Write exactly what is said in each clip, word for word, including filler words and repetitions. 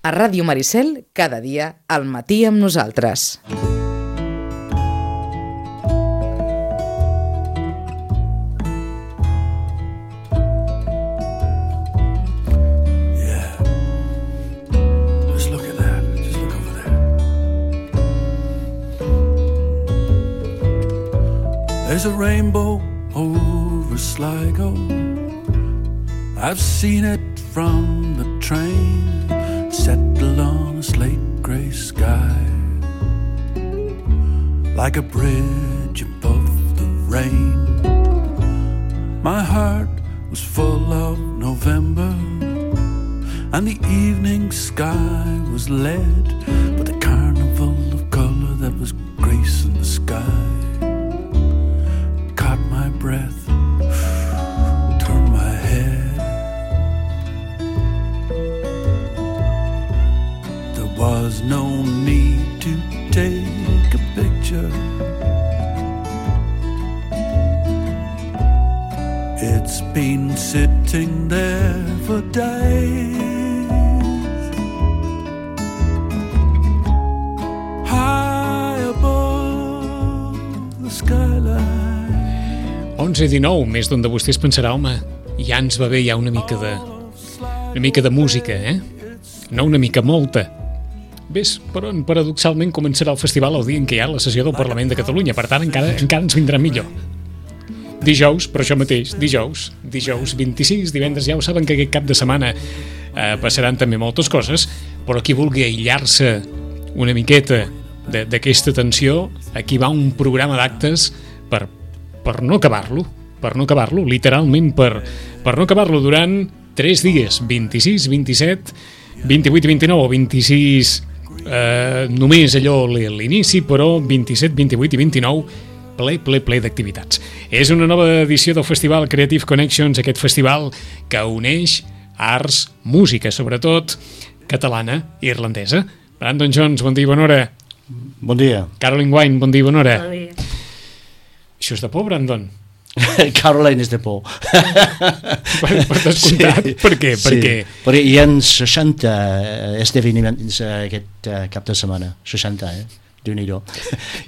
A Ràdio Maricel, cada dia, al matí amb nosaltres. There's a rainbow over Sligo. I've seen it from the train, settle on a slate grey sky, like a bridge above the rain. My heart was full of November, and the evening sky was lead, but the carnival of colour that was gracing the sky caught my breath, turned my head. There was no need to take a picture. It's been sitting there for days, high above the skyline. onze i dinou, més d'un de vostès pensarà, home, ja ens va bé ja una mica de una mica de música, eh? No una mica, molta. Ves, però paradoxalment començarà el festival el dia en què hi ha la sessió del Parlament de Catalunya, per tant encara, encara ens vindrà millor. Dijous, per això mateix, dijous, dijous vint-i-sis, divendres, ja ho saben que aquest cap de setmana eh, passaran també moltes coses, però qui vulgui aïllar-se una miqueta d'aquesta tensió, aquí va un programa d'actes per, per no acabar-lo, per no acabar-lo, literalment per, per no acabar-lo durant tres dies, vint-i-sis, vint-i-set, vint-i-vuit i vint-i-nou, o vint-i-sis eh, només allò l'inici, però vint-i-set, vint-i-vuit i vint-i-nou ple, ple, ple d'activitats. És una nova edició del Festival Creative Connections, aquest festival que uneix arts, música, sobretot catalana i irlandesa. Brandon Jones, bon dia i bona hora. Bon dia. Caroline Wine, bon dia i bona hora. Bon dia. Això és de por, Brandon? Caroline és de por. Per, per descomptat, sí, per què? Per sí, què? perquè hi ha seixanta esdeveniments aquest uh, cap de setmana, seixanta, eh? Déu-n'hi-do.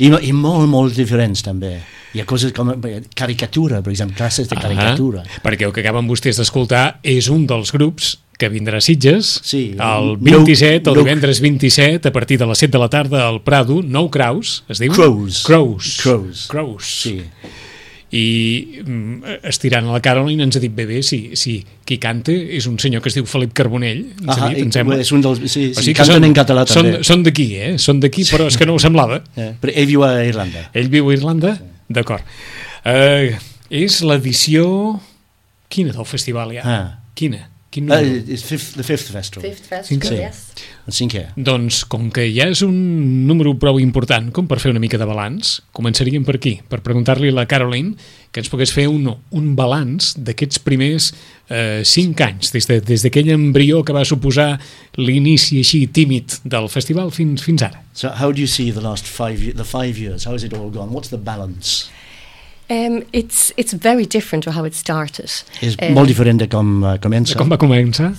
I, I molt, molt diferents també. Hi ha coses com caricatura, per exemple, classes de caricatura. Ah, perquè el que acaben vostès d'escoltar és un dels grups que vindrà a Sitges, sí, el vint-i-set, el divendres vint-i-set, a partir de les set de la tarda al Prado, Nou Crows, es diu? Crows. Crows. Crows. Crows. Sí. I mm, estirant a la Caroline ens ha dit bé bé si, si qui canta és un senyor que es diu Felip Carbonell, ens ah, ha dit, em sembla. És un dels, sí, o sí, sigui canten són, en català són, també. Són d'aquí, eh? Són d'aquí, però és que no ho semblava. Eh, però ell viu a Irlanda. Ell viu a Irlanda? Sí. D'acord. Uh, és l'edició... Quina del festival ja? Ah. Quina? Quin Uh, número? it's fifth, the fifth festival. Fifth festival, sí. yes. El cinquè. Doncs, com que ja és un número prou important com per fer una mica de balanç, començaríem per aquí, per preguntar-li a la Caroline que ens pogués fer un, un balanç d'aquests primers eh, cinc anys, des, de, des d'aquell embrió que va suposar l'inici així tímid del festival fins, fins ara. So how do you see the last five, the five years? How has it all gone? What's the balance? Um, it's it's very different to how it started. És um, molt diferent de com uh, comença. Com va començar?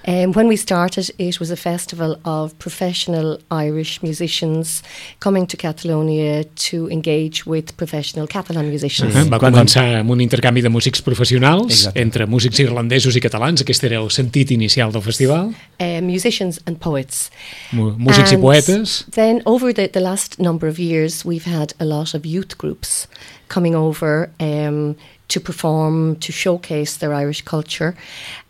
Um, when we started, it was a festival of professional Irish musicians coming to Catalonia to engage with professional Catalan musicians. Uh -huh. Va començar amb un intercanvi de músics professionals. Exacte. Entre músics irlandesos i catalans. Aquest era el sentit inicial del festival. Uh, musicians and poets. M músics and i poetes. Then over the, the last number of years, we've had a lot of youth groups coming over um, to perform, to showcase their Irish culture.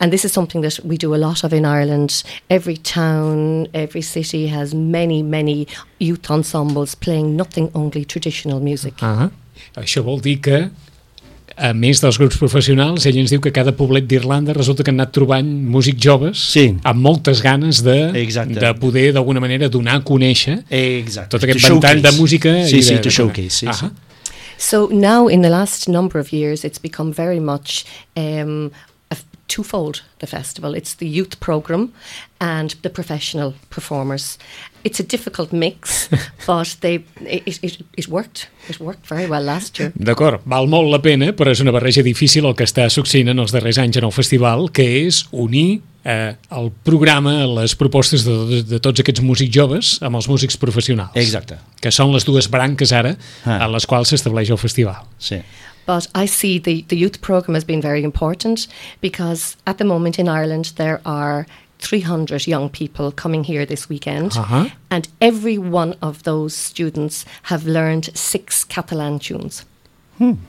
And this is something that we do a lot of in Ireland. Every town, every city has many, many youth ensembles playing nothing only traditional music. Uh -huh. Això vol dir que, a més dels grups professionals, ell ens diu que cada poblet d'Irlanda resulta que han anat trobant músics joves, sí, amb moltes ganes de, de poder d'alguna manera donar a conèixer Exacte. tot aquest ventall de música. Sí, i sí, de, to showcase. Sí, uh sí. -huh. So now, in the last number of years, it's become very much um, a twofold, the festival. It's the youth program and the professional performers. It's a difficult mix, but they it, it, it worked. It worked very well last year. D'acord, val molt la pena, però és una barreja difícil el que està succeint en els darrers anys en el festival, que és unir eh, el programa, les propostes de, de, de tots aquests músics joves amb els músics professionals. Exacte. Que són les dues branques ara ah. a les quals s'estableix el festival. Sí. But I see the, the youth programme has been very important because at the moment in Ireland there are three hundred young people coming here this weekend, uh-huh. and every one of those students have learned six Catalan tunes. Hmm.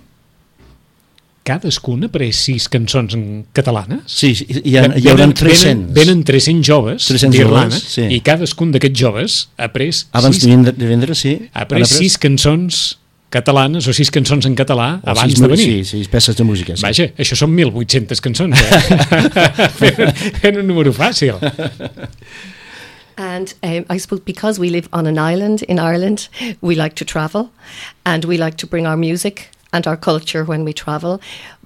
Cadascun ha après sis cançons en catalanes? Sí, hi, ha, hi haurà tres-cents. Venen, venen tres-cents joves d'Irlanda sí. i cadascun d'aquests joves ha après abans sis, de vendre, sí. ha après sis cançons catalanes o sis cançons en català o abans de venir. Sí, sis peces de música. Sí. Vaja, això són mil vuit-centes cançons, eh? fent, fent un número fàcil. And um, I suppose because we live on an island in Ireland, we like to travel and we like to bring our music and our culture when we travel.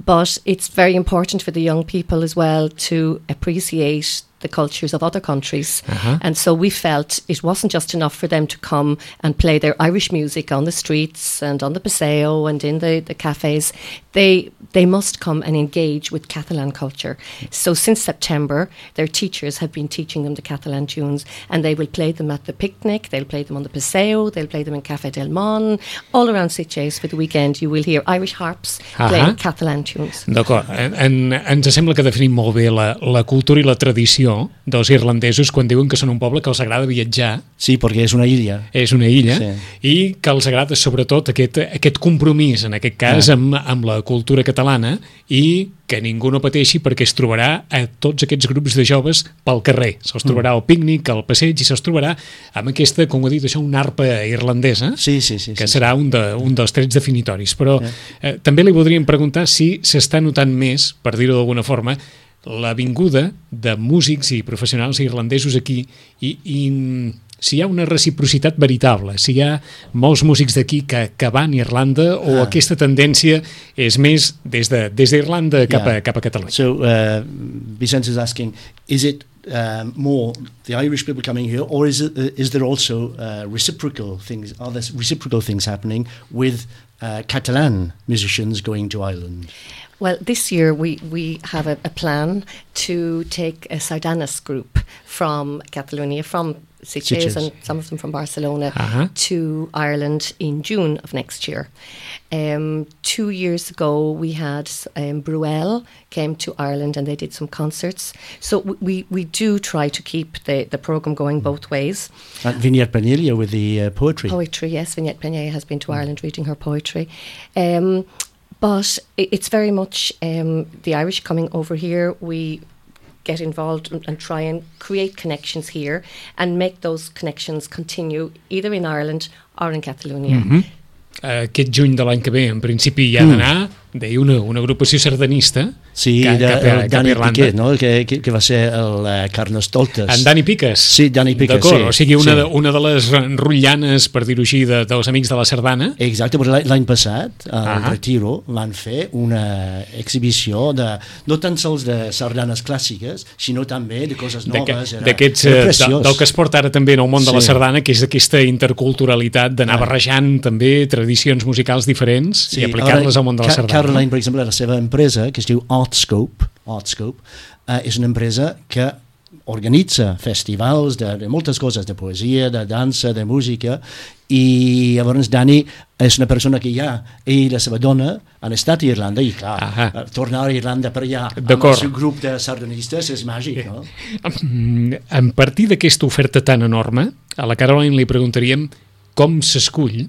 But it's very important for the young people as well to appreciate the cultures of other countries. Uh-huh. And so we felt it wasn't just enough for them to come and play their Irish music on the streets and on the Paseo and in the, the cafes. They they must come and engage with Catalan culture. So since September, their teachers have been teaching them the Catalan tunes, and they will play them at the picnic, they'll play them on the Paseo, they'll play them in Café del Mon. All around Sitges for the weekend you will hear Irish harps uh-huh. playing Catalan tunes. D'acord, en, en, ens sembla que definim molt bé la, la cultura i la tradició dels irlandesos quan diuen que són un poble que els agrada viatjar. Sí, perquè és una illa. És una illa, sí. I que els agrada sobretot aquest, aquest compromís, en aquest cas, ah. amb, amb la cultura catalana, i que ningú no pateixi perquè es trobarà a tots aquests grups de joves pel carrer. Se'ls trobarà al pícnic, al passeig, i se'ls trobarà amb aquesta, com ho he dit, això, una arpa irlandesa, sí, sí, sí, que sí, serà sí. Un, de, un dels trets definitoris. Però sí. eh, també li voldríem preguntar si s'està notant més, per dir-ho d'alguna forma, la vinguda de músics i professionals irlandesos aquí i, i si hi ha una reciprocitat veritable, si hi ha molts músics d'aquí que, que van a Irlanda o ah. aquesta tendència és més des de, des d'Irlanda cap, yeah. a, cap a Catalunya. So, uh, Vicente is asking, is it uh, more the Irish people coming here, or is, it, uh, is there also uh, reciprocal things, are there reciprocal things happening with uh, Catalan musicians going to Ireland? Well, this year we, we have a, a plan to take a Sardanas group from Catalonia, from Sitges, and some of them from Barcelona, uh-huh. to Ireland in June of next year. Um, two years ago we had um, Bruel came to Ireland and they did some concerts. So we, we do try to keep the, the programme going both ways. And Vignette Pennelia with the uh, poetry. Poetry, yes. Vignette Pennelia has been to Ireland reading her poetry. Um, But it's very much um, the Irish coming over here. We get involved and, and try and create connections here and make those connections continue either in Ireland or in Catalonia. Mm-hmm. Aquest juny de l'any que ve, en principi, hi ha d'anar, deia, una, una agrupació sardanista sí, cap, de, cap, a, cap a Irlanda. Piquet, no? que, que, que va ser el uh, Carnestoltes. En Dani Piques. Sí, Dani Piques, d'acord, sí. O sigui, una, sí. de, una de les rotllanes, per dir-ho així, de, dels amics de la sardana. Exacte, però l'any passat, al uh-huh. Retiro, van fer una exhibició de, no tan sols de sardanes clàssiques, sinó també de coses noves. D'aquests, de, del que es porta ara també en el món de sí. la sardana, que és aquesta interculturalitat d'anar ah. barrejant també tradicions musicals diferents sí. i aplicar-les al món de la sardana. Caroline, per exemple, la seva empresa, que es diu Artscope, Artscope uh, és una empresa que organitza festivals de, de moltes coses, de poesia, de dansa, de música, i llavors Dani és una persona que ja, ell i la seva dona han estat a Irlanda, i clar, uh, tornar a Irlanda per allà amb el seu grup de sardanistes és màgic, no? A partir d'aquesta oferta tan enorme, a la Caroline li preguntaríem com s'escull,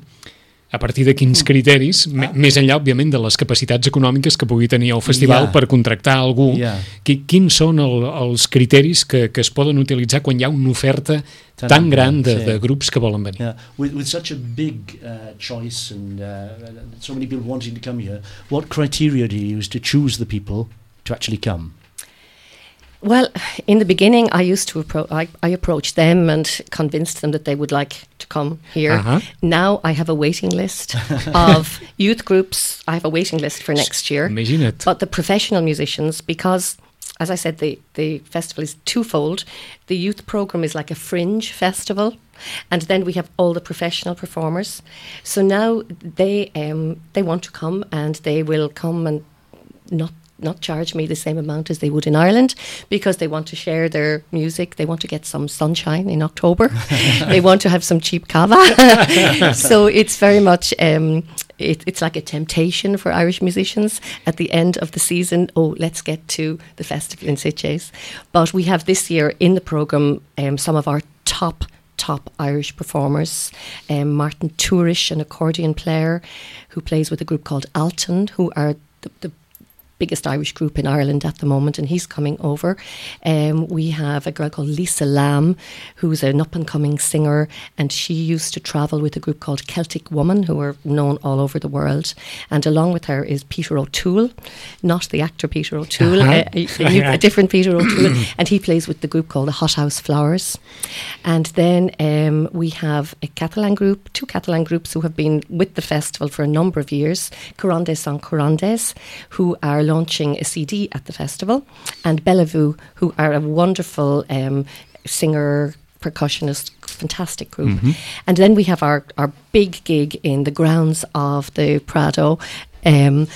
a partir de quins criteris, ah. més enllà, òbviament, de les capacitats econòmiques que pugui tenir el festival yeah. per contractar algú, yeah. quins són el, els criteris que, que es poden utilitzar quan hi ha una oferta tan, tan gran de, sí. de grups que volen venir? Yeah. With, with such a big uh, choice and uh, so many people wanting to come here, what criteria do you use to choose the people to actually come? Well, in the beginning, I used to appro- I, I approached them and convinced them that they would like to come here. Uh-huh. Now I have a waiting list of youth groups. I have a waiting list for next year. Imagine. But the professional musicians, because, as I said, the, the festival is twofold. The youth program is like a fringe festival, and then we have all the professional performers. So now they um, they want to come, and they will come and not not charge me the same amount as they would in Ireland, because they want to share their music. They want to get some sunshine in October. They want to have some cheap cava. So it's very much, um, it, it's like a temptation for Irish musicians at the end of the season. Oh, let's get to the festival in Sitges. But we have this year in the programme um, some of our top top Irish performers. Um, Martin Tourish, an accordion player who plays with a group called Alton, who are the, the biggest Irish group in Ireland at the moment, and he's coming over. Um, we have a girl called Lisa Lamb, who's an up-and-coming singer, and she used to travel with a group called Celtic Woman, who are known all over the world. And along with her is Peter O'Toole, not the actor Peter O'Toole, uh-huh. a, a, a different Peter O'Toole, and he plays with the group called the Hothouse Flowers. And then um, we have a Catalan group, two Catalan groups who have been with the festival for a number of years, Corandes Son Corandes, who are launching a C D at the festival, and Bellevue, who are a wonderful um, singer, percussionist, fantastic group. Mm-hmm. And then we have our, our big gig in the grounds of the Prado, um,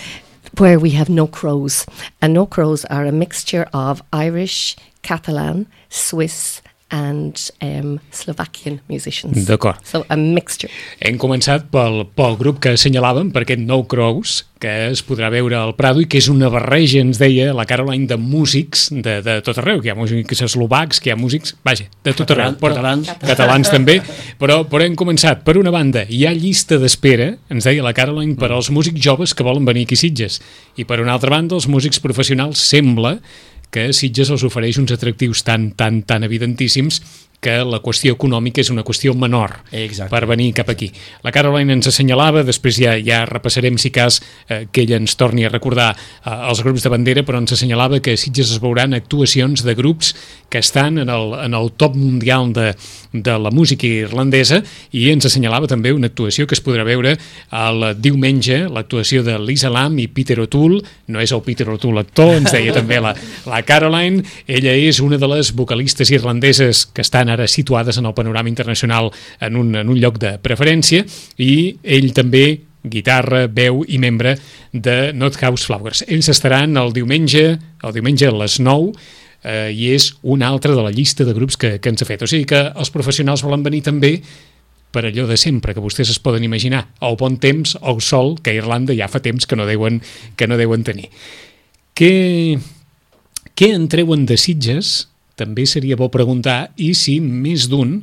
where we have No Crows. And No Crows are a mixture of Irish, Catalan, Swiss and um, Slovakian musicians. D'acord. So a mixture. Hem començat pel, pel grup que assenyalàvem, per aquest No Crows, que es podrà veure al Prado i que és una barreja, ens deia la Caroline, de músics de, de tot arreu, que hi ha músics eslovacs, que hi ha músics, vaja, de tot arreu. Però, catalans. Catalans també, però, però hem començat. Per una banda, hi ha llista d'espera, ens deia la Caroline, per als músics joves que volen venir aquí a Sitges. I per una altra banda, els músics professionals sembla que Sitges els ofereix uns atractius tan, tan, tan evidentíssims que la qüestió econòmica és una qüestió menor. Exacte. Per venir cap aquí. La Caroline ens assenyalava, després ja, ja repassarem si cas eh, que ella ens torni a recordar eh, els grups de bandera, però ens assenyalava que a Sitges es veuran actuacions de grups que estan en el, en el top mundial de, de la música irlandesa, i ens assenyalava també una actuació que es podrà veure el diumenge, l'actuació de Lisa Lamb i Peter O'Toole. No és el Peter O'Toole actor, ens deia també la, la Caroline. Ella és una de les vocalistes irlandeses que estan ara situades en el panorama internacional en un, en un lloc de preferència, i ell també guitarra, veu i membre de Hothouse Flowers. Ells estaran el diumenge, el diumenge a les nou, eh, i és una altra de la llista de grups que, que ens ha fet. O sigui que els professionals volen venir també per allò de sempre, que vostès es poden imaginar, el bon temps, el sol, que a Irlanda ja fa temps que no deuen, que no deuen tenir. Què, què en treuen de Sitges? També seria bo preguntar, i si més d'un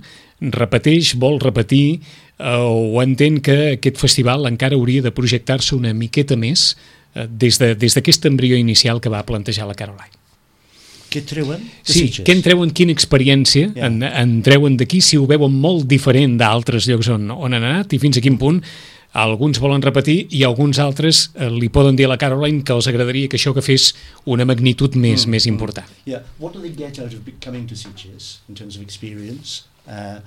repeteix, vol repetir, eh, o entén que aquest festival encara hauria de projectar-se una miqueta més eh, des de, des d'aquest embrió inicial que va plantejar la Caroline. Què treuen? Sí, què en treuen, quina experiència yeah. en, en treuen d'aquí, si ho veuen molt diferent d'altres llocs on, on han anat, i fins a quin punt alguns volen repetir i alguns altres eh, li poden dir a la Caroline que els agradaria que això que fes una magnitud més, mm. més important. Yeah. What do they get out of coming to Sitges in terms of experience? Uh,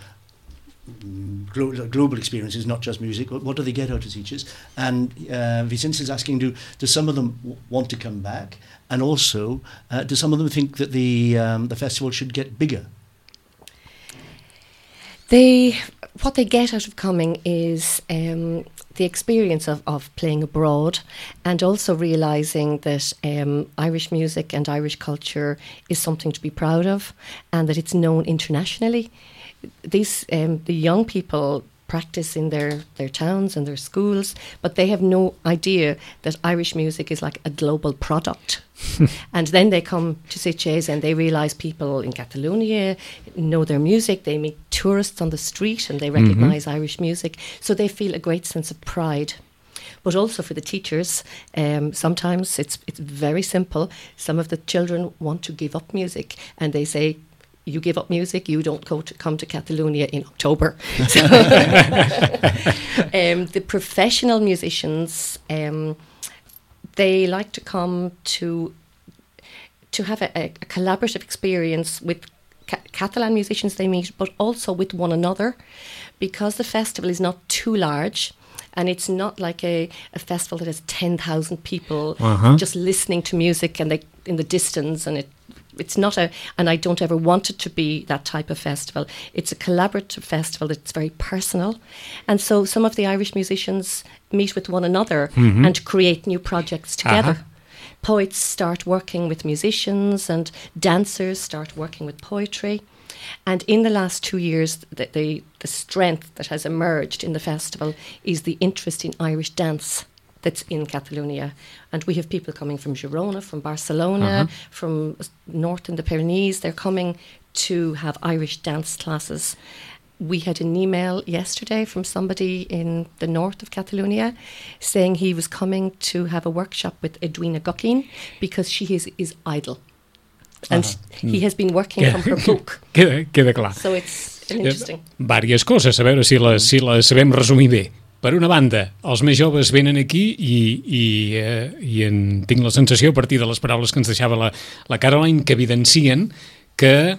global, global experiences, not just music. What do they get out of Sitges? And uh, Vicente is asking, do, do some of them w- want to come back? And also, uh, do some of them think that the um, the festival should get bigger? They, what they get out of coming is um, the experience of, of playing abroad, and also realising that um, Irish music and Irish culture is something to be proud of, and that it's known internationally. These um, the young people practice in their, their towns and their schools, but they have no idea that Irish music is like a global product. And then they come to Sitges and they realise people in Catalonia know their music, they meet tourists on the street and they recognise mm-hmm. Irish music, so they feel a great sense of pride. But also for the teachers, um, sometimes it's it's very simple. Some of the children want to give up music and they say, you give up music, you don't go to, come to Catalonia in October. So, um, the professional musicians, um, they like to come to to have a, a collaborative experience with ca- Catalan musicians they meet, but also with one another, because the festival is not too large. And it's not like a, a festival that has ten thousand people uh-huh. just listening to music and they in the distance, and it it's not a, and I don't ever want it to be that type of festival. It's a collaborative festival that's very personal. And so some of the Irish musicians meet with one another mm-hmm. and create new projects together. Uh-huh. poets start working with musicians and dancers start working with poetry. And in the last two years, the, the, the strength that has emerged in the festival is the interest in Irish dance that's in Catalonia. And we have people coming from Girona, from Barcelona, uh-huh. from north in the Pyrenees. They're coming to have Irish dance classes. We had an email yesterday from somebody in the north of Catalonia saying he was coming to have a workshop with Edwina Guckin because she is his idol. And uh-huh. he has been working queda, from her book. Queda, queda clar. So it's interesting. Vàries coses, a veure si les, si les sabem resumir bé. Per una banda, els més joves venen aquí i, i, eh, i en tinc la sensació, a partir de les paraules que ens deixava la, la Caroline, que evidencien que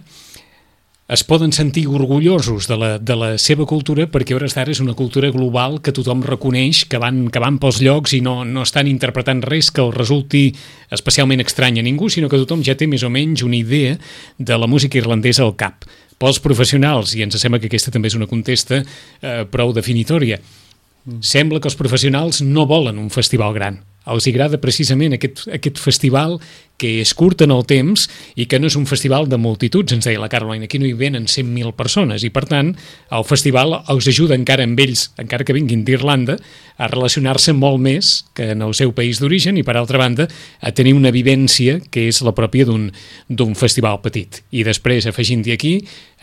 es poden sentir orgullosos de la, de la seva cultura, perquè a hores d'ara és una cultura global que tothom reconeix, que van, que van pels llocs i no, no estan interpretant res que els resulti especialment estrany a ningú, sinó que tothom ja té més o menys una idea de la música irlandesa al cap. Pels professionals, i ens sembla que aquesta també és una contesta eh, prou definitòria, mm. sembla que els professionals no volen un festival gran. Els agrada precisament aquest, aquest festival que és curt en el temps i que no és un festival de multituds, ens deia la Caroline, aquí no hi venen cent mil persones i per tant el festival els ajuda encara amb ells, encara que vinguin d'Irlanda, a relacionar-se molt més que en el seu país d'origen i per altra banda a tenir una vivència que és la pròpia d'un, d'un festival petit. I després afegint-hi aquí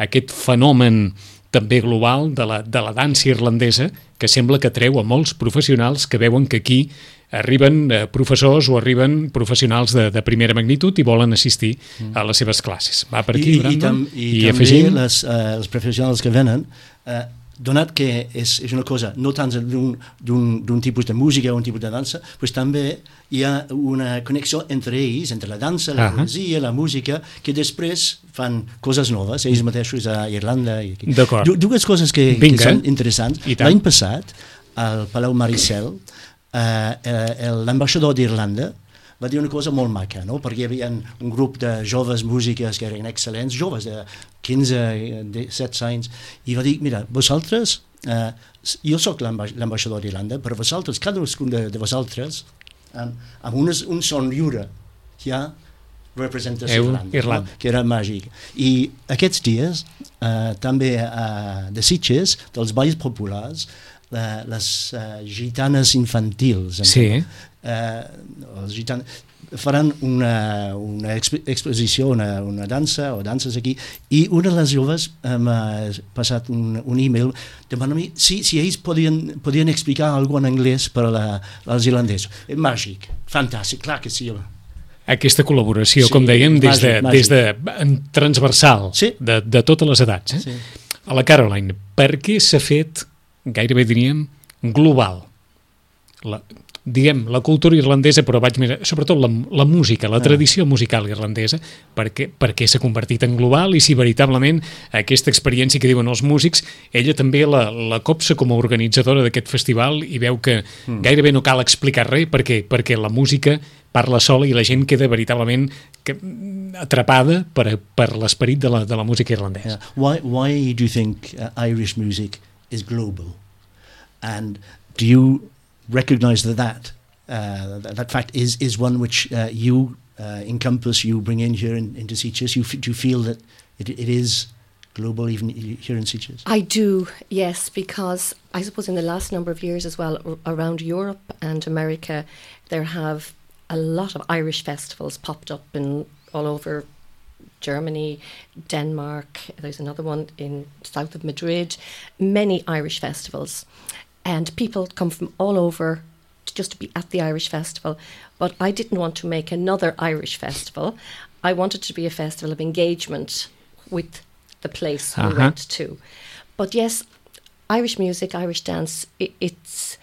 aquest fenomen també global de la, de la dansa irlandesa que sembla que atreu a molts professionals que veuen que aquí arriben eh, professors o arriben professionals de, de primera magnitud i volen assistir mm. a les seves classes. Va per aquí, I, Brandon? I, i, I, i afegim... també les, uh, els professionals que venen, uh, donat que és, és una cosa no tant d'un, d'un, d'un tipus de música o un tipus de dansa, pues també hi ha una connexió entre ells, entre la dansa, la uh-huh. poesia, la música, que després fan coses noves, ells mateixos a Irlanda. I aquí. D'acord. Du, dues coses que, que són interessants. L'any passat, al Palau Maricel, Uh, uh, l'ambaixador d'Irlanda va dir una cosa molt maca, no? Perquè hi havia un grup de joves músiques que eren excel·lents, joves de quinze, disset anys, i va dir, mira, vosaltres, uh, jo sóc l'amba- l'ambaixador d'Irlanda, però vosaltres, cadascun de, de vosaltres, um, amb unes, un son lliure, hi ha representació d'Irlanda, Irlanda. No? Que era màgic. I aquests dies, uh, també uh, de Sitges, dels balls populars, Uh, les uh, gitanes infantils sí. uh, els gitan... faran una, una exp- exposició, una, una dansa o danses aquí, i una de les joves uh, m'ha passat un, un e-mail demanant-me si, si ells podien, podien explicar alguna en anglès per a la, als irlandesos. És màgic, fantàstic, clar que sí. Aquesta col·laboració, Sí, com dèiem, des de, màgic, des de transversal, sí. de, de totes les edats. Eh? Sí. A la Caroline, per què s'ha fet, gairebé diríem, global? La, diguem, la cultura irlandesa, però vaig mirar, sobretot la, la música, la tradició musical irlandesa, perquè, perquè s'ha convertit en global i si veritablement aquesta experiència que diuen els músics, ella també la, la copsa com a organitzadora d'aquest festival i veu que mm. gairebé no cal explicar res perquè, perquè la música parla sola i la gent queda veritablement que, atrapada per, per l'esperit de la, de la música irlandesa. Yeah. Why, why do you think uh, Irish music is global? And do you recognize that that, uh, that, that fact is, is one which uh, you uh, encompass, you bring in here in, into Sitges? You f- do you feel that it, it is global even here in Sitges? I do, yes, because I suppose in the last number of years as well, r- around Europe and America, there have a lot of Irish festivals popped up in all over Germany, Denmark, there's another one in south of Madrid, many Irish festivals. And people come from all over to just to be at the Irish festival. But I didn't want to make another Irish festival. I wanted to be a festival of engagement with the place Uh-huh. we went to. But yes, Irish music, Irish dance, it, it's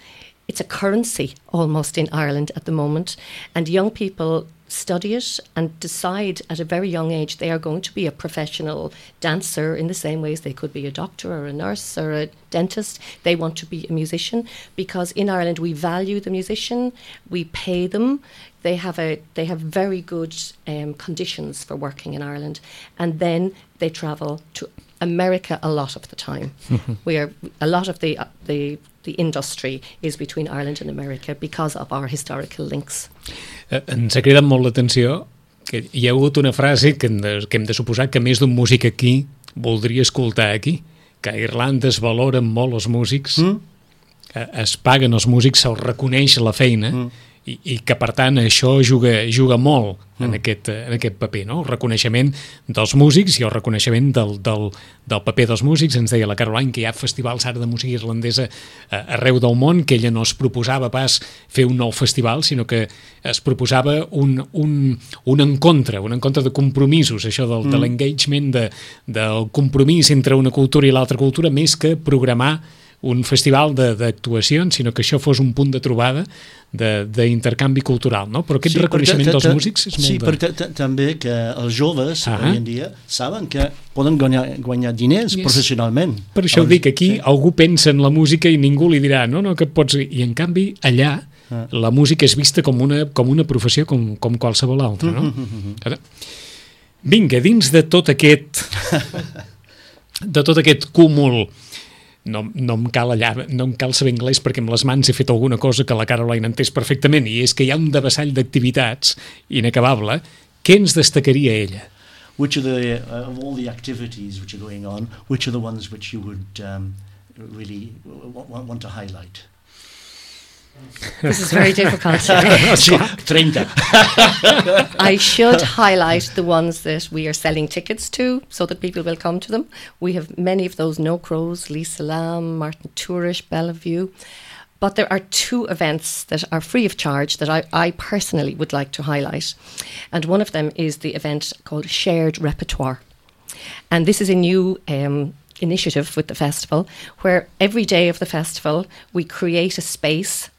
it's a currency almost in Ireland at the moment. And young people study it and decide at a very young age they are going to be a professional dancer in the same way as they could be a doctor or a nurse or a dentist. They want to be a musician because in Ireland we value the musician, we pay them, they have a they have very good um, conditions for working in Ireland, and then they travel to America a lot of the time. We are a lot of the uh, the the industry is between Ireland and America because of our historical links. Eh, ens ha cridat molt l'atenció que hi ha hagut una frase que hem de, que hem de suposar que més d'un músic aquí voldria escoltar aquí, que a Irlanda es valoren molt els músics, mm? es paguen els músics, se'ls reconeix la feina, mm. i, i que per tant això juga, juga molt mm. en, aquest, en aquest paper, no? El reconeixement dels músics i el reconeixement del, del, del paper dels músics. Ens deia la Caroline que hi ha festivals ara de música irlandesa arreu del món, que ella no es proposava pas fer un nou festival, sinó que es proposava un, un, un encontre, un encontre de compromisos, això del, mm. de l'engagement, de, del compromís entre una cultura i l'altra cultura, més que programar un festival d'actuacions, sinó que això fos un punt de trobada d'intercanvi cultural, no? Però aquest sí, reconeixement dels músics és molt sí, de... perquè també que els joves ah avui en dia saben que poden guanyar, guanyar diners yes. professionalment. Per això ho dic, aquí sí. algú pensa en la música i ningú li dirà no, no, que pots... I en canvi allà ah. la música és vista com una, com una professió com, com qualsevol altra, no? Mm-hmm. Vinga, dins de tot aquest de tot aquest cúmul. No, no, em cal allà, no em cal saber anglès perquè amb les mans he fet alguna cosa que la Caroline entès perfectament, i és que hi ha un devessall d'activitats inacabable. Què ens destacaria ella? Which are the, uh, of all the activities which are going on, which are the ones which you would um, really want, want to highlight? This is very difficult. thirty. I should highlight the ones that we are selling tickets to so that people will come to them. We have many of those, No Crows, Lisa Lam, Martin Tourish, Bellevue. But there are two events that are free of charge that I, I personally would like to highlight. And one of them is the event called Shared Repertoire. And this is a new um, initiative with the festival where every day of the festival we create a space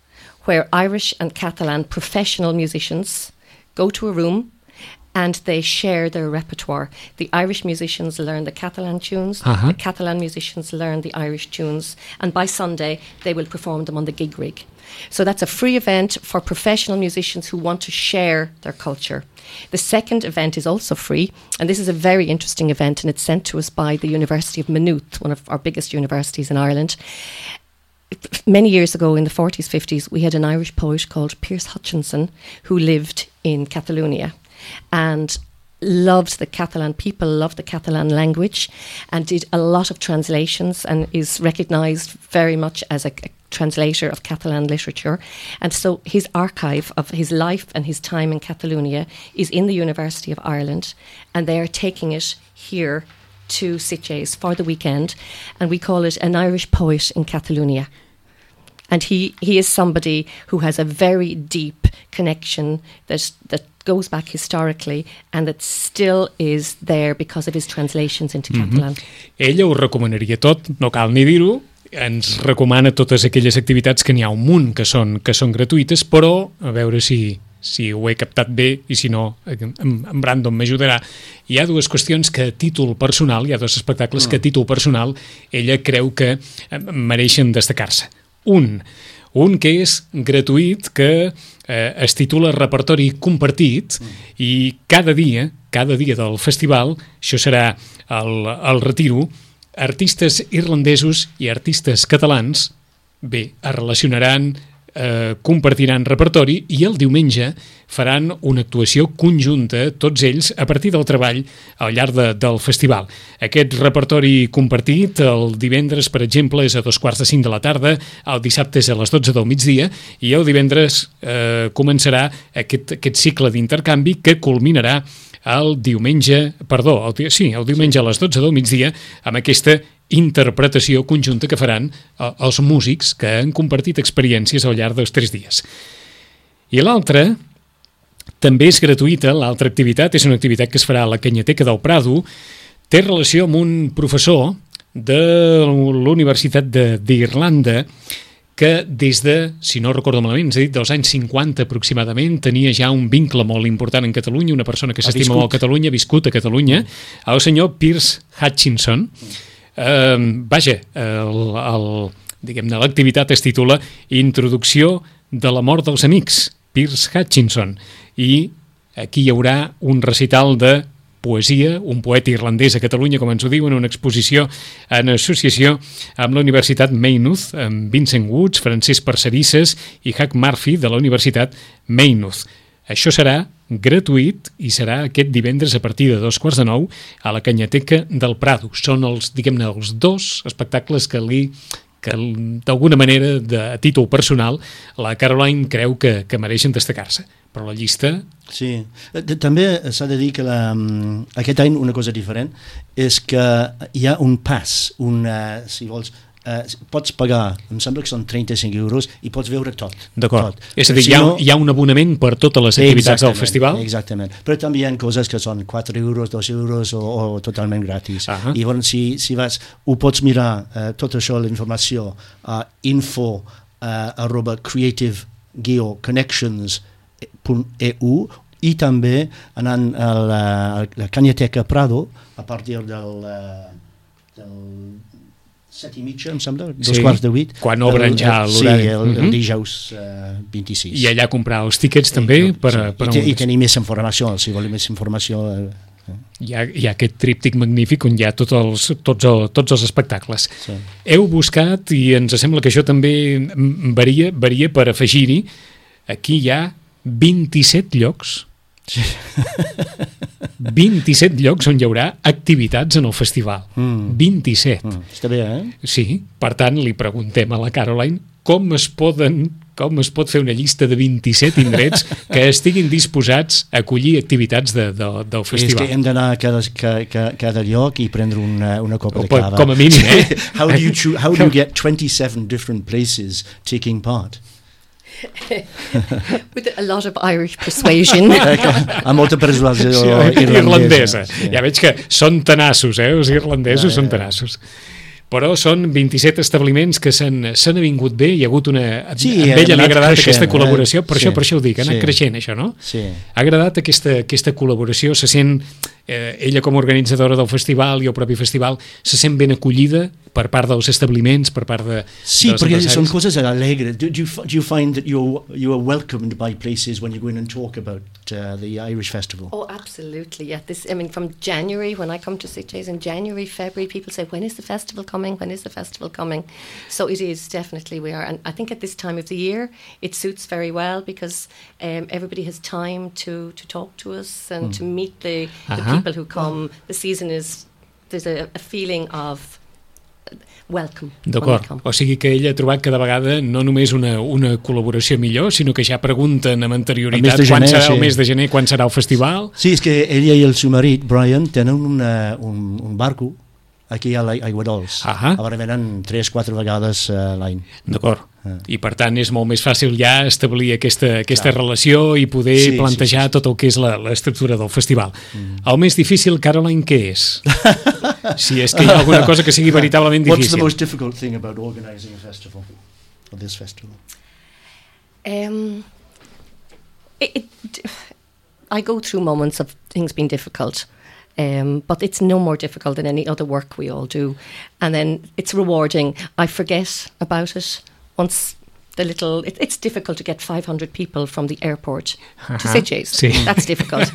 where Irish and Catalan professional musicians go to a room and they share their repertoire. The Irish musicians learn the Catalan tunes, uh-huh. the Catalan musicians learn the Irish tunes, and by Sunday they will perform them on the gig rig. So that's a free event for professional musicians who want to share their culture. The second event is also free, and this is a very interesting event, and it's sent to us by the University of Maynooth, one of our biggest universities in Ireland. Many years ago, in the forties, fifties, we had an Irish poet called Pierce Hutchinson who lived in Catalonia and loved the Catalan people, loved the Catalan language, and did a lot of translations and is recognised very much as a, a translator of Catalan literature. And so his archive of his life and his time in Catalonia is in the University of Ireland, and they are taking it here to Sitges for the weekend, and we call it An Irish Poet in Catalonia. And he, he is somebody who has a very deep connection that that goes back historically and that still is there because of his translations into mm-hmm. Catalan. Ella ho recomanaria tot, no cal ni dir-ho, ens recomana totes aquelles activitats que n'hi ha un munt que són, que són gratuïtes, però a veure si, si ho he captat bé i si no, en, en Brandon m'ajudarà. Hi ha dues qüestions que a títol personal, hi ha dos espectacles que a títol personal ella creu que mereixen destacar-se. Un, un que és gratuït, que eh, es titula Repertori Compartit, i cada dia, cada dia del festival, això serà el, el retiro, artistes irlandesos i artistes catalans, bé, es relacionaran, eh, compartiran repertori, i el diumenge faran una actuació conjunta, tots ells, a partir del treball al llarg de, del festival. Aquest repertori compartit, el divendres, per exemple, és a dos quarts de cinc de la tarda, el dissabte és a les dotze del migdia, i el divendres eh, començarà aquest, aquest cicle d'intercanvi que culminarà el diumenge, perdó, el, sí, el diumenge a les dotze del migdia, amb aquesta interpretació conjunta que faran eh, els músics que han compartit experiències al llarg dels tres dies. I l'altra també és gratuïta, l'altra activitat és una activitat que es farà a la Canyateca del Prado, té relació amb un professor de l'Universitat d'Irlanda que des de, si no recordo malament, ens ha dit dels anys cinquanta aproximadament, tenia ja un vincle molt important en Catalunya, una persona que s'estima molt a Catalunya, ha viscut a Catalunya, el senyor Pierce Hutchinson. Eh, vaja, el, el, diguem-ne, l'activitat es titula Introducció de la mort dels amics, Piers Hutchinson, i aquí hi haurà un recital de poesia, un poeta irlandès a Catalunya, com ens ho diuen, una exposició en associació amb la Universitat Maynooth, amb Vincent Woods, Francesc Parcerisses i Hugh Murphy de la Universitat Maynooth. Això serà gratuït i serà aquest divendres a partir de dos quarts de nou a la Canyateca del Prado. Són els, diguem-ne, els dos espectacles que li que d'alguna manera, de, a títol personal, la Caroline creu que, que mereixen destacar-se. Però la llista... Sí. També s'ha de dir que la, aquest any una cosa diferent és que hi ha un pas, un, uh, si vols, uh, pots pagar, em sembla que són trenta-cinc euros i pots veure tot. D'acord. Tot. És a dir, si hi, ha, no, hi ha un abonament per totes les activitats del festival? Exactament. Però també hi ha coses que són quatre euros, dos euros o, o totalment gratis. Uh -huh. I llavors, si, si vas, ho pots mirar, uh, tot això, la informació, a uh, info uh, arroba creative guió connections punt e u i també anant a la, a la Canyateca Prado a partir del, del set i mitja, em sembla, dos sí, quarts de vuit. Quan obren ja l'horari. Sí, el, uh -huh. el dijous uh, vint-i-sis. I allà comprar els tíquets també? I, per, sí. per I, te, I tenir més informació, si voleu més informació... Eh. Hi ha, hi ha aquest tríptic magnífic on hi ha tots els, tots el, tots els espectacles. Sí. Heu buscat, i ens sembla que això també varia, varia per afegir-hi, aquí hi ha vint-i-set llocs, sí. vint-i-set llocs on hi haurà activitats en el festival. Mm. vint-i-set. Mm. Està bé, eh? Sí, per tant, li preguntem a la Caroline com es poden, com es pot fer una llista de vint-i-set indrets que estiguin disposats a acollir activitats de, de, del festival. És que hem d'anar a cada, cada, cada lloc i prendre una, una copa o, de cava. Com a mínim, eh? how, do you choose, how do you get twenty-seven different places taking part? With a lot of Irish persuasion. Amb molta persuasió sí, irlandesa. irlandesa. Sí. Ja veig que són tenaços, eh? Els irlandesos ja, ja, ja. són tenaços. Però són vint-i-set establiments que s'han avingut bé, hi ha hagut una... Sí, a ella li ha agradat creixent, aquesta col·laboració, eh? per, sí, això, per això ho dic, ha anat sí, creixent això, no? Sí. Ha agradat aquesta, aquesta col·laboració, se sent, eh, ella com a organitzadora del festival i el propi festival, se sent ben acollida per part dels establiments, per part de... Sí, perquè són coses alegres. Do, do, you, do you find that you're, you are welcomed by places when you go in and talk about uh, the Irish Festival? Oh, absolutely, yeah. This, I mean, from January, when I come to Sitges in January, February, people say, when is the festival coming? When is the festival coming? So it is, definitely we are. And I think at this time of the year, it suits very well because um, everybody has time to, to talk to us and mm. to meet the, the uh-huh. people who come. The season is, there's a, a feeling of welcome. D'acord, o sigui que ella ha trobat cada vegada no només una, una col·laboració millor, sinó que ja pregunten amb anterioritat gener, quan serà sí. el mes de gener, quan serà el festival. Sí, és que ella i el seu marit, Brian, tenen una, un, un barco aquí a Aiguadols. Ah, ara venen tres o quatre vegades uh, l'any. D'acord. Ah. I per tant és molt més fàcil ja establir aquesta, aquesta relació i poder sí, plantejar sí, sí, sí. tot el que és la, l'estructura del festival. Mm. El més difícil, Caroline, què és? Si és que hi ha alguna cosa que sigui veritablement difícil. What's the most difficult thing about organizing a festival, or this festival? Um, it, it, I go through moments of things being difficult. Um, but it's no more difficult than any other work we all do. And then it's rewarding. I forget about it once the little... It, it's difficult to get five hundred people from the airport uh-huh. to Sitges. Sí. That's difficult.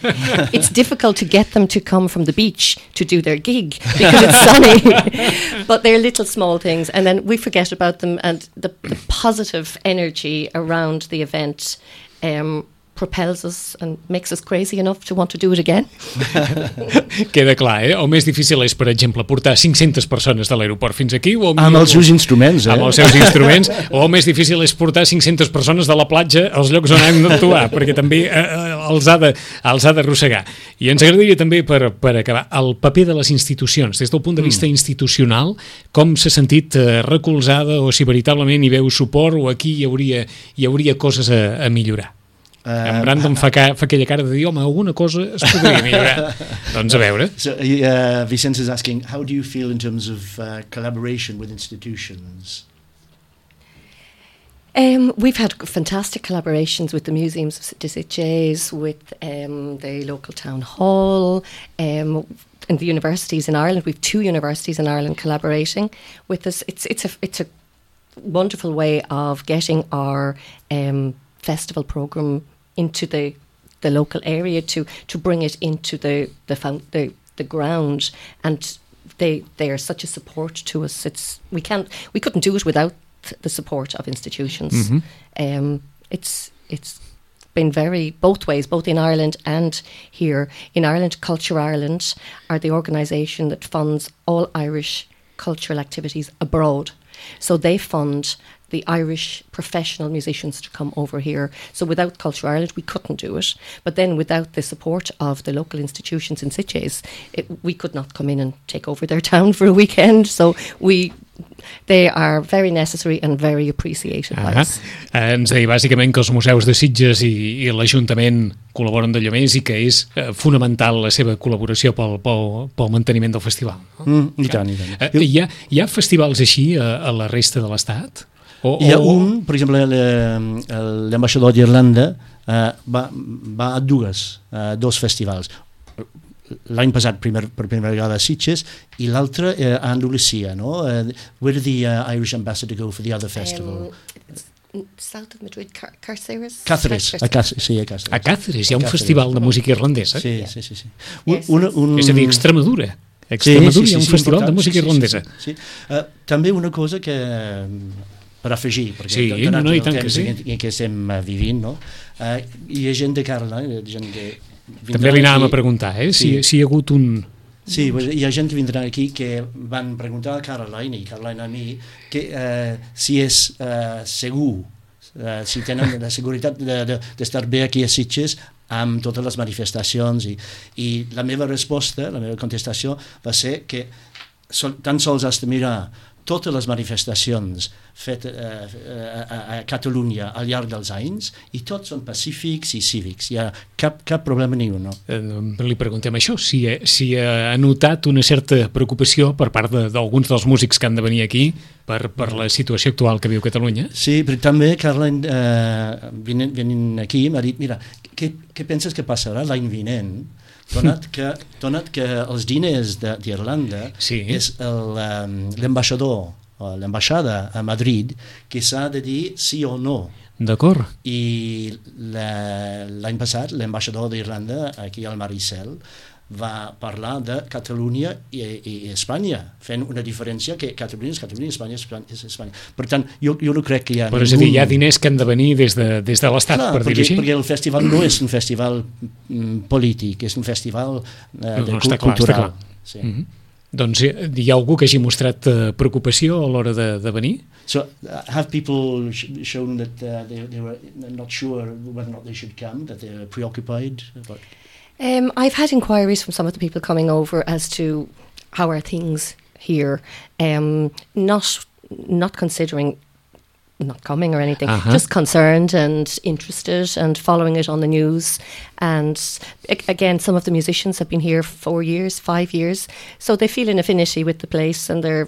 It's difficult to get them to come from the beach to do their gig because it's sunny. But they're little small things. And then we forget about them, and the, the positive energy around the event um, propels us and makes us crazy enough to want to do it again. Queda clar, eh? El més difícil és, per exemple, portar cinc-centes persones de l'aeroport fins aquí o... Amb els seus instruments, eh? Amb els seus instruments, o el més difícil és portar cinc-centes persones de la platja als llocs on hem d'actuar, perquè també eh, els ha de, els ha d'arrossegar. I ens agradaria també, per, per acabar, el paper de les institucions, des del punt de vista mm. institucional, com s'ha sentit eh, recolzada o si veritablement hi veu suport o aquí hi hauria, hi hauria coses a, a millorar. Uh, en Brandon fa, ca, fa aquella cara de dir, home, alguna cosa es podria millorar. Doncs a veure. So, uh, Vicente is asking, how do you feel in terms of uh, collaboration with institutions? Um, we've had fantastic collaborations with the museums of Sitges, with um, the local town hall, um, and the universities in Ireland. We've two universities in Ireland collaborating with us. It's it's a it's a wonderful way of getting our um, festival program into the the local area to to bring it into the the found, the, the ground, and they they are such a support to us. It's we can't we couldn't do it without the support of institutions. Mm-hmm. Um, it's it's been very both ways, both in Ireland and here. In Ireland, Culture Ireland are the organisation that funds all Irish cultural activities abroad. So they fund the Irish professional musicians to come over here. So without Culture Ireland, we couldn't do it. But then without the support of the local institutions in Sitges, it, we could not come in and take over their town for a weekend. So we... they are very necessary and very appreciated by ah, us. Eh, ens deia bàsicament que els museus de Sitges i, i l'Ajuntament col·laboren d'allò més i que és eh, fonamental la seva col·laboració pel, pel, pel manteniment del festival. Mm, I tant, i tant. Eh, hi, ha, hi ha festivals així a, a la resta de l'Estat? O, Hi ha o... un, per exemple, l'ambaixador d'Irlanda uh, va, va a dues, uh, dos festivals. L'any passat primer, per primera vegada a Sitges i l'altre uh, a Andalusia, no? Uh, where did the uh, Irish ambassador go for the other festival? Um, south of Madrid, Car Cáceres? Cáceres, a Cáceres, sí, a Cáceres. A Cáceres hi ha un Cáceres. festival de música irlandesa. Sí, sí, sí. sí. Yes, Una, un... És a dir, Extremadura. A Extremadura hi ha un festival de música irlandesa. Sí, sí, sí. Uh, també una cosa que... per afegir, perquè sí, donat no, no, el tant temps que sí. en què estem uh, vivint, no? Uh, hi ha gent de Caroline, gent que... També li anàvem a preguntar, eh? Si, Sí. si hi ha hagut un... Sí, pues, hi ha gent que vindrà aquí que van preguntar a Caroline i Caroline a mi que uh, si és uh, segur, uh, si tenen la seguretat d'estar de, de, bé aquí a Sitges amb totes les manifestacions i, i la meva resposta, la meva contestació va ser que sol, tan sols has de mirar totes les manifestacions fetes uh, a, a Catalunya al llarg dels anys i tots són pacífics i cívics, hi ha cap, cap problema ni un. No? Eh, li preguntem això, si, si ha notat una certa preocupació per part d'alguns de, dels músics que han de venir aquí per, per la situació actual que viu Catalunya. Sí, però també Caroline eh, venint, venint aquí m'ha dit, mira, què, què penses que passarà l'any vinent? Donat que, donat que els diners d'Irlanda sí. és l'ambaixador o l'ambaixada a Madrid que s'ha de dir sí o no. D'acord. I l'any passat l'ambaixador d'Irlanda aquí al Maricel va parlar de Catalunya i, i Espanya, fent una diferència que Catalunya és Catalunya i Espanya és Espanya. Per tant, jo, jo no crec que hi ha... Però és a dir, hi ha diners que han de venir des de, des de l'Estat, per dir-ho així? Perquè el festival no és un festival mm, polític, és un festival eh, de, no, està cultural. Clar, està clar. Sí. Mm-hmm. Doncs hi ha algú que hagi mostrat uh, preocupació a l'hora de, de venir? So, uh, have people sh shown that uh, they, they were not sure whether or not they should come, that they were preoccupied? But... Um, I've had inquiries from some of the people coming over as to how are things here, um, not not considering not coming or anything, uh-huh. just concerned and interested and following it on the news. And again, some of the musicians have been here four years, five years, so they feel an affinity with the place and they're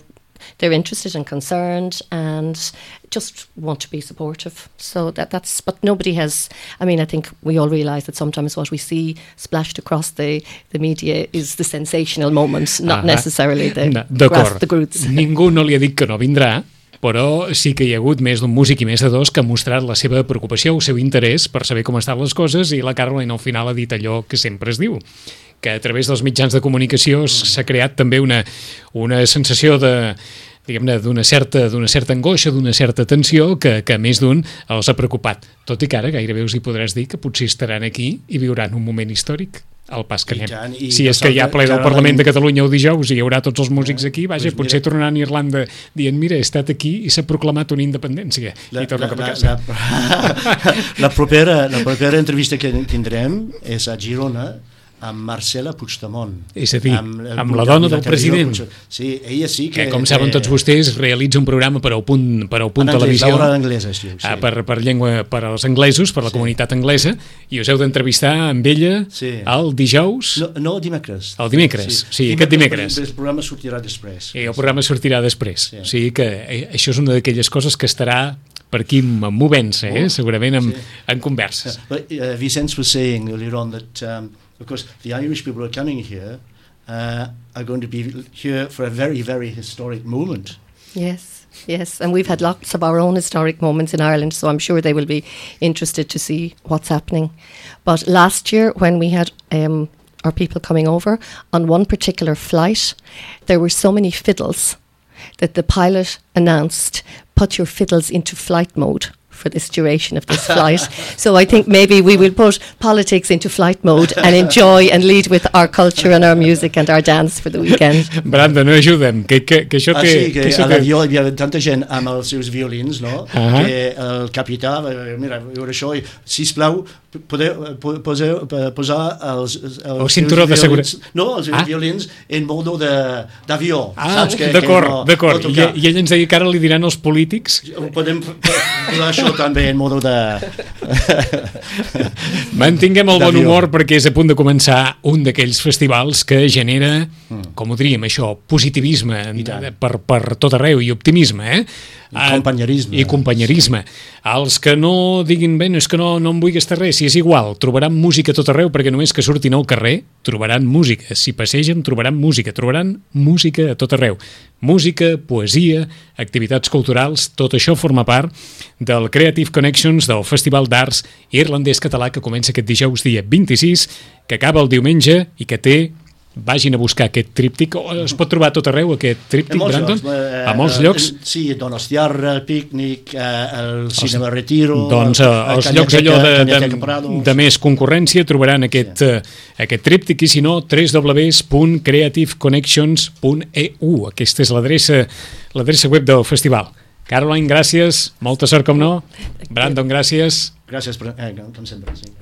they're interested and concerned and just want to be supportive. So that that's, but nobody has, I mean, I think we all realise that sometimes what we see splashed across the, the media is the sensational moment, not uh-huh. necessarily the no, grass the roots. Ningú no li ha dit que no vindrà, però sí que hi ha hagut més d'un músic i més de dos que ha mostrat la seva preocupació, el seu interès per saber com estan les coses, i la Caroline al final ha dit allò que sempre es diu, que a través dels mitjans de comunicació s'ha creat també una, una sensació de, diguem-ne, d'una certa, d'una certa angoixa, d'una certa tensió que, que més d'un els ha preocupat. Tot i que ara gairebé us hi podràs dir que potser estaran aquí i viuran un moment històric al pas que I anem. tant, i si és que hi ha ple del Parlament de Catalunya el dijous i hi haurà tots els músics aquí, vaja, pues potser tornaran a Irlanda dient, mira, he estat aquí i s'ha proclamat una independència. La, I torna la, cap a la, casa. la, la, propera, la propera entrevista que tindrem és a Girona amb Marcela Puigdemont. És a dir, amb, el, amb la dona del president. Sí, ella sí que... Que, com saben tots vostès, realitza un programa per al punt, per al punt en anglès, televisió. l'hora d'anglesa, sí. Ah, per, per llengua, per als anglesos, per la Sí. comunitat anglesa, i us heu d'entrevistar amb ella Sí. el dijous, No, no dimecres. el dimecres, sí, sí aquest dimecres. El programa sortirà després. I el programa sortirà després. Sí. O sigui que eh, això és una d'aquelles coses que estarà per aquí movent-se, eh? segurament en, Sí. en converses. But uh, Vicente was saying earlier on that, um, of course, the Irish people who are coming here uh, are going to be here for a very, very historic moment. Yes, yes. And we've had lots of our own historic moments in Ireland, so I'm sure they will be interested to see what's happening. But last year, when we had um, our people coming over, on one particular flight, there were so many fiddles that the pilot announced, put your fiddles into flight mode for this duration of this flight. So I think maybe we will put politics into flight mode and enjoy and lead with our culture and our music and our dance for the weekend. Brandon, no ajuda'm, que, que, que això Ah, té... sí, que que això a té... l'avió hi havia tanta gent amb els seus violins, no? Ah. Que el capità, eh, mira, veure això, i, sisplau, podeu po- poseu, eh, posar els, els El cinturó seus de violins- seguretat. No, els seus Ah. violins en modo de- d'avió. Ah, saps? Que, d'acord, que no, d'acord. no I, tocar. I ell ens deia que ara li diran als polítics... Ho podem f- posar això també en modo de... Mantinguem el bon D'avió. humor perquè és a punt de començar un d'aquells festivals que genera, com ho diríem, això, positivisme I tant. per, per tot arreu i optimisme, eh? I companyerisme. I companyerisme. Els que no diguin, bé, no és que no, no em vull gastar res, si és igual, trobaran música a tot arreu perquè només que surtin al carrer trobaran música. Si passegen trobaran música, trobaran música a tot arreu. Música, poesia, activitats culturals, tot això forma part del Creative Connections del Festival d'Arts Irlandès-Català que comença aquest dijous dia vint-i-sis, que acaba el diumenge i que té, vagin a buscar aquest tríptic, o es pot trobar a tot arreu aquest tríptic, En molts Brandon? llocs, eh, A molts eh, llocs? Sí, Donostiarra, el pícnic, eh, el cinema Retiro... Doncs eh, el els llocs allò de, Cañateca de, Prados. de més concurrència trobaran aquest, sí. eh, aquest tríptic i si no, w w w punt creative connections punt e u. Aquesta és l'adreça l'adreça web del festival. Caroline, gràcies, molta sort com no. Brandon, gràcies. Gràcies, per, eh, com sempre. Sí.